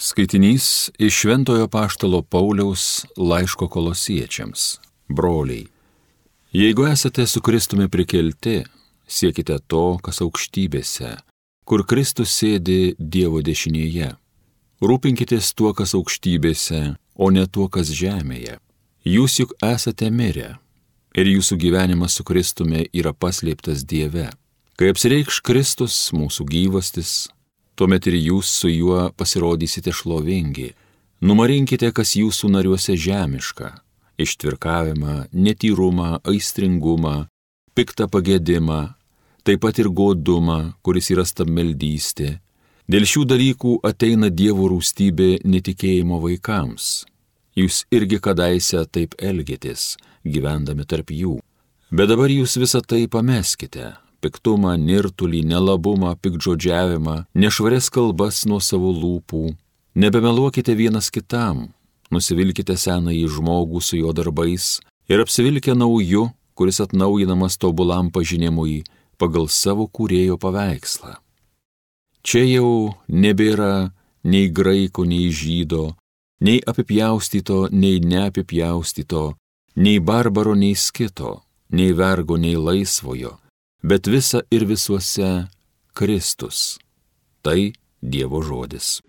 Skaitinys iš Šventojo apaštalo Pauliaus laiško Kolosiečiams. Broliai, jeigu esate su Kristumi prikelti, siekite to, kas aukštybėse, kur Kristus sėdi Dievo dešinėje. Rūpinkitės tuo, kas aukštybėse, o ne tuo, kas žemėje. Jūs juk esate mirę, ir jūsų gyvenimas su Kristumi yra paslėptas Dieve. Kai apsireikš Kristus, mūsų gyvastis, tuomet ir jūs su juo pasirodysite šlovingi. Numarinkite, kas jūsų nariuose žemiška - ištvirkavimą, netyrumą, aistringumą, piktą pagėdimą, taip pat ir godumą, kuris yra stabmeldystė. Dėl šių dalykų ateina Dievo rūstybė netikėjimo vaikams. Jūs irgi kadaise taip elgėtės, gyvendami tarp jų. Bet dabar jūs visą tai pameskite - piktumą, nirtulį, nelabumą, piktžodžiavimą, nešvarias kalbas nuo savo lūpų. Nebemeluokite vienas kitam, nusivilkite senąjį žmogų su jo darbais ir apsivilkę nauju, kuris atnaujinamas tobulam pažinimui pagal savo kūrėjo paveikslą. Čia jau nebėra nei graiko, nei žydo, nei apipjaustyto, nei neapipjaustyto, nei barbaro, nei skito, nei vergo, nei laisvojo, bet visa ir visuose Kristus. Tai Dievo žodis.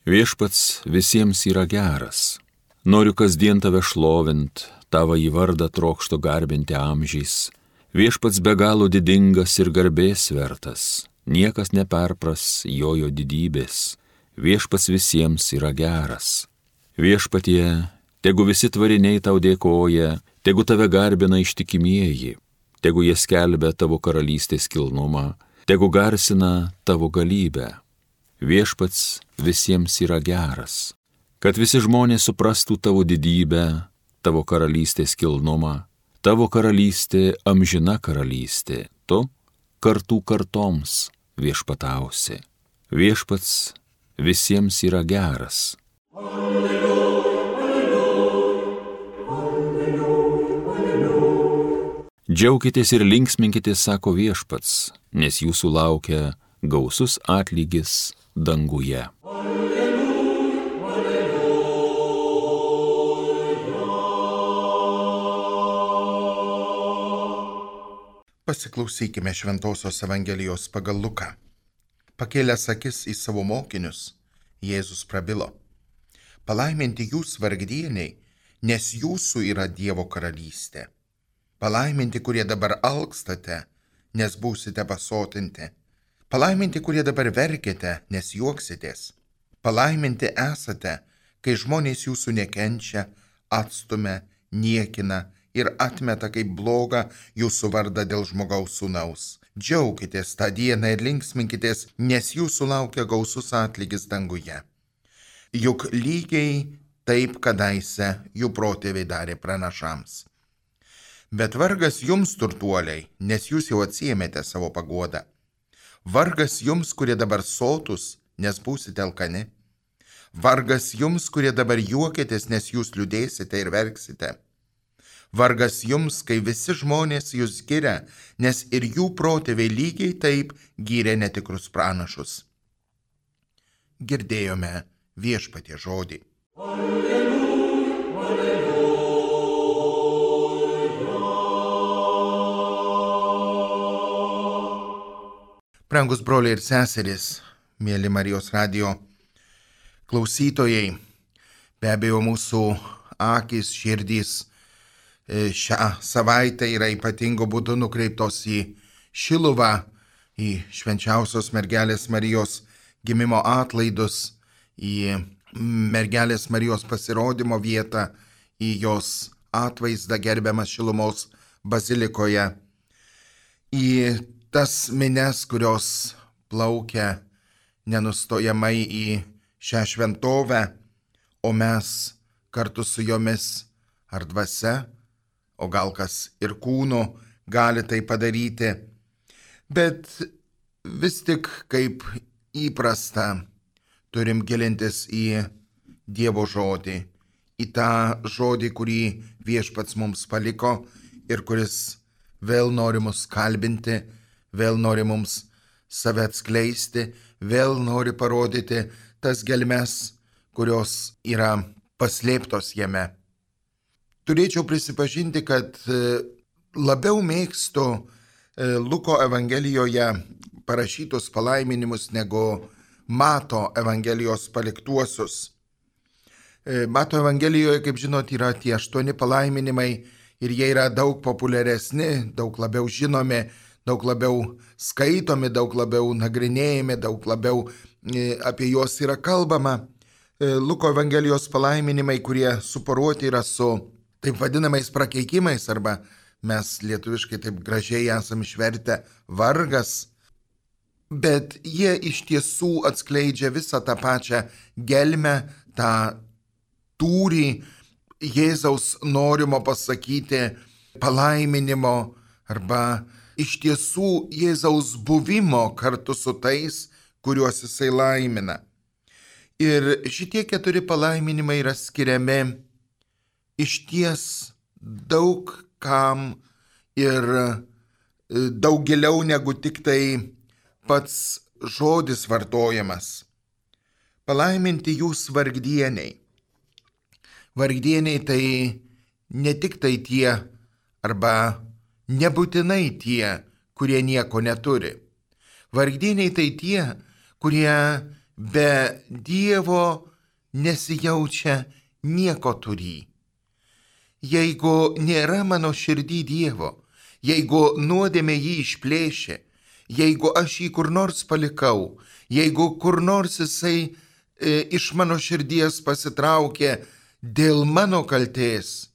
Viešpats visiems yra geras. Noriu kasdien tave šlovint, tavo į vardą trokštu garbinti amžiais. Viešpats be galo didingas ir garbės vertas, niekas neperpras jojo didybės. Viešpats visiems yra geras. Viešpatie, tegu visi tvariniai tau dėkoja, tegu tave garbina ištikimieji, tegu jie skelbia tavo karalystės kilnumą, tegu garsina tavo galybę. Viešpats visiems yra geras. Kad visi žmonės suprastų tavo didybę, tavo karalystės kilnumą, tavo karalystė amžina karalystė, tu kartų kartoms viešpatausi. Viešpats visiems yra geras. Alleluja, alleluja, alleluja, alleluja. Džiaukitės ir linksminkitės, sako Viešpats, nes jūsų laukia gausus atlygis danguje. Pasiklausykime Šventosios Evangelijos pagal Luką. Pakėlęs akis į savo mokinius, Jėzus prabilo: Palaiminti jūs vargdieniai, nes jūsų yra Dievo karalystė. Palaiminti, kurie dabar alkstate, nes būsite pasotinti. Palaiminti, kurie dabar verkiate, nes juoksitės. Palaiminti esate, kai žmonės jūsų nekenčia, atstumia, niekina ir atmeta kaip blogą jūsų vardą dėl žmogaus sūnaus. Džiaukitės tą dieną ir linksminkitės, nes jūsų laukia gausus atlygis danguje. Juk lygiai taip kadaise jų protėviai darė pranašams. Bet vargas jums, turtuoliai, nes jūs jau atsiėmėte savo paguodą. Vargas jums, kurie dabar sotus, nes būsite alkani. Vargas jums, kurie dabar juokėtės, nes jūs liūdėsite ir verksite. Vargas jums, kai visi žmonės jūs giria, nes ir jų protėviai lygiai taip gyrė netikrus pranašus. Girdėjome Viešpaties žodį. Alleluja, alleluja. Brangus broliai ir seserys, mėly Marijos radijo klausytojai, be abejo mūsų akys, širdys šią savaitę yra ypatingo būdu nukreiptos į Šiluvą, į švenčiausios mergelės Marijos gimimo atlaidus, į mergelės Marijos pasirodymo vietą, į jos atvaizdą gerbiamą Šilumos bazilikoje, į tas minias, kurios plaukia nenustojamai į šią šventovę, o mes kartu su jomis ar dvasia, o gal kas ir kūnu, gali tai padaryti. Bet vis tik, kaip įprasta, turim gilintis į Dievo žodį, į tą žodį, kurį Viešpats mums paliko ir kuris vėl nori mus kalbinti, vėl nori mums save atskleisti, vėl nori parodyti tas gelmes, kurios yra paslėptos jame. Turėčiau prisipažinti, kad labiau mėgstu Luko Evangelijoje parašytus palaiminimus negu Mato Evangelijos paliktuosius. Mato Evangelijoje, kaip žinot, yra tie 8 palaiminimai ir jie yra daug populiaresni, daug labiau žinomi, daug labiau skaitomi, daug labiau nagrinėjami, daug labiau apie juos yra kalbama. Luko Evangelijos palaiminimai, kurie suporuoti yra su taip vadinamais prakeikimais, arba mes lietuviškai taip gražiai esam išvertę vargas, bet jie iš tiesų atskleidžia visą tą pačią gelmę, tą tūrį Jėzaus norimo pasakyti palaiminimo arba iš tiesų Jėzaus buvimo kartu su tais, kuriuos jisai laimina. Ir šitie 4 palaiminimai yra skiriami išties daug kam ir daug giliau negu tik tai pats žodis vartojamas. Palaiminti jūs vargdieniai. Vargdieniai tai ne tik tai tie arba nebūtinai tie, kurie nieko neturi. Vargdieniai tai tie, kurie be Dievo nesijaučia nieko turį. Jeigu nėra mano širdį Dievo, jeigu nuodėmė jį išplėšė, jeigu aš jį kur nors palikau, jeigu kur nors jisai iš mano širdies pasitraukė dėl mano kaltės,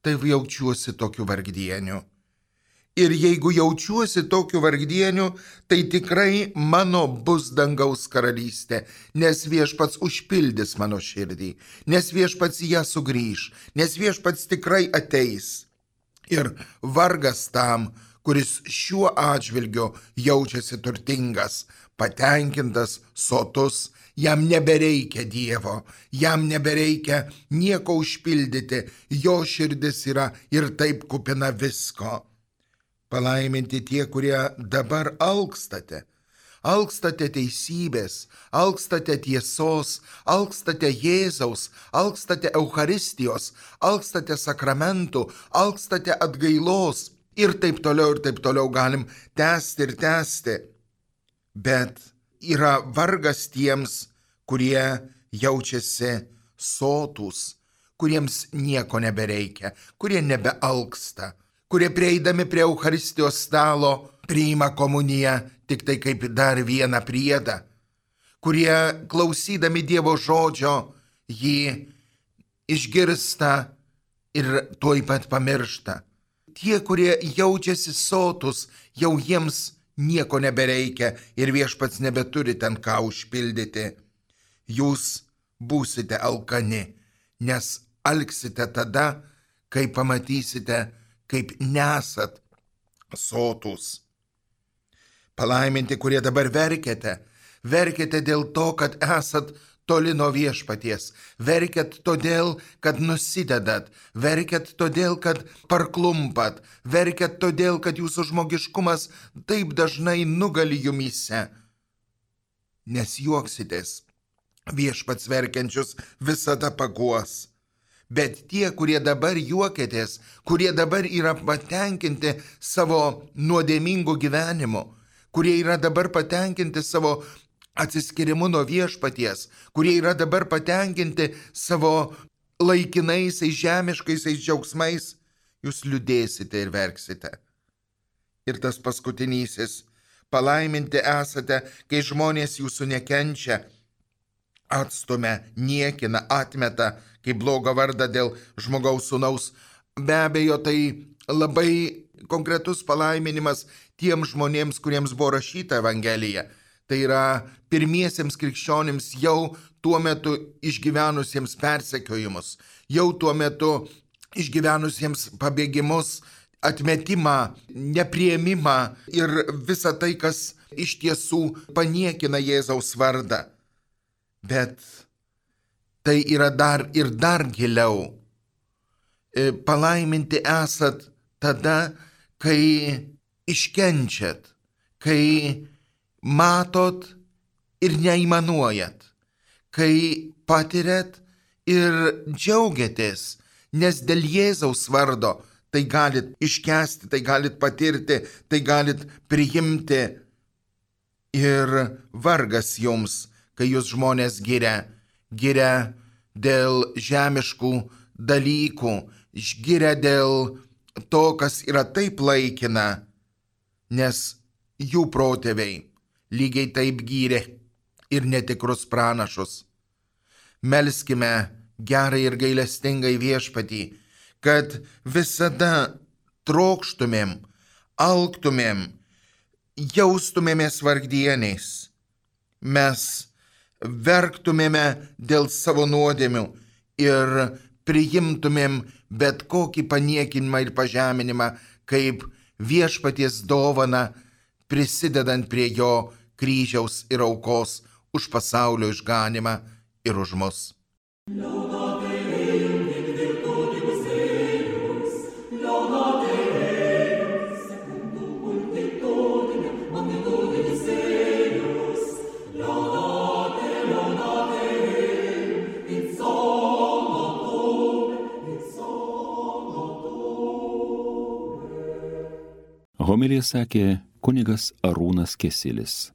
tai jaučiuosi tokiu vargdieniu. Ir jeigu jaučiuosi tokiu vargdieniu, tai tikrai mano bus dangaus karalystė, nes Viešpats užpildys mano širdį, nes Viešpats ją sugrįš, nes Viešpats tikrai ateis. Ir vargas tam, kuris šiuo atžvilgiu jaučiasi turtingas, patenkintas, sotus, jam nebereikia Dievo, jam nebereikia nieko užpildyti, jo širdis yra ir taip kupina visko. Palaiminti tie, kurie dabar alkstate. Alkstate teisybės, alkstate tiesos, alkstate Jėzaus, alkstate Eucharistijos, alkstate sakramentų, alkstate atgailos ir taip toliau galim tęsti ir tęsti. Bet yra vargas tiems, kurie jaučiasi sotūs, kuriems nieko nebereikia, kurie nebealksta, kurie prieidami prie Eucharistijos stalo priima komuniją tik tai kaip dar vieną priedą, kurie klausydami Dievo žodžio jį išgirsta ir tuoj pat pamiršta. Tie, kurie jaučiasi sotus, jau jiems nieko nebereikia ir Viešpats nebeturi ten ką užpildyti. Jūs būsite alkani, nes alksite tada, kai pamatysite, kaip nesat sotus. Palaiminti, kurie dabar verkiate dėl to, kad esat toli nuo Viešpaties, verkiat todėl, kad nusidedat, verkiat todėl, kad parklumpat, verkiat todėl, kad jūsų žmogiškumas taip dažnai nugali jumyse. Nes juoksitės, Viešpats verkiančius visada paguos. Bet tie, kurie dabar juokėtės, kurie dabar yra patenkinti savo nuodėmingu gyvenimu, kurie yra dabar patenkinti savo atsiskirimu nuo Viešpaties, kurie yra dabar patenkinti savo laikinaisiais žemiškaisiais džiaugsmais, jūs liūdėsite ir verksite. Ir tas paskutinysis, palaiminti esate, kai žmonės jūsų nekenčia, atstumia, niekina, atmeta, kaip blogą vardą dėl žmogaus sūnaus. Be abejo, tai labai konkretus palaiminimas tiems žmonėms, kuriems buvo rašyta Evangelija. Tai yra pirmiesiems krikščionims jau tuo metu išgyvenusiems persekiojimus, jau tuo metu išgyvenusiems pabėgimus atmetimą, nepriėmimą ir visą tai, kas iš tiesų paniekina Jėzaus vardą. Bet tai yra dar ir dar giliau. Palaiminti esat tada, kai iškenčiat, kai matot ir neįmanuojat, kai patiriat ir džiaugiatės, nes dėl Jėzaus vardo tai galit iškęsti, tai galit patirti, tai galit priimti. Ir vargas jums, kai jūs žmonės giria dėl žemiškų dalykų, giria dėl to, kas yra taip laikina, nes jų protėviai lygiai taip gyrė ir netikrus pranašus. Melskime gerai ir gailestingai Viešpatį, kad visada trokštumėm, alktumėm, jaustumėmės vargdieniais. Mes verktumėme dėl savo nuodėmių ir priimtumėm bet kokį paniekinimą ir pažeminimą kaip Viešpaties dovana, prisidedant prie jo kryžiaus ir aukos už pasaulio išganimą ir už mus. Homiliją sakė kunigas Arūnas Kesilis.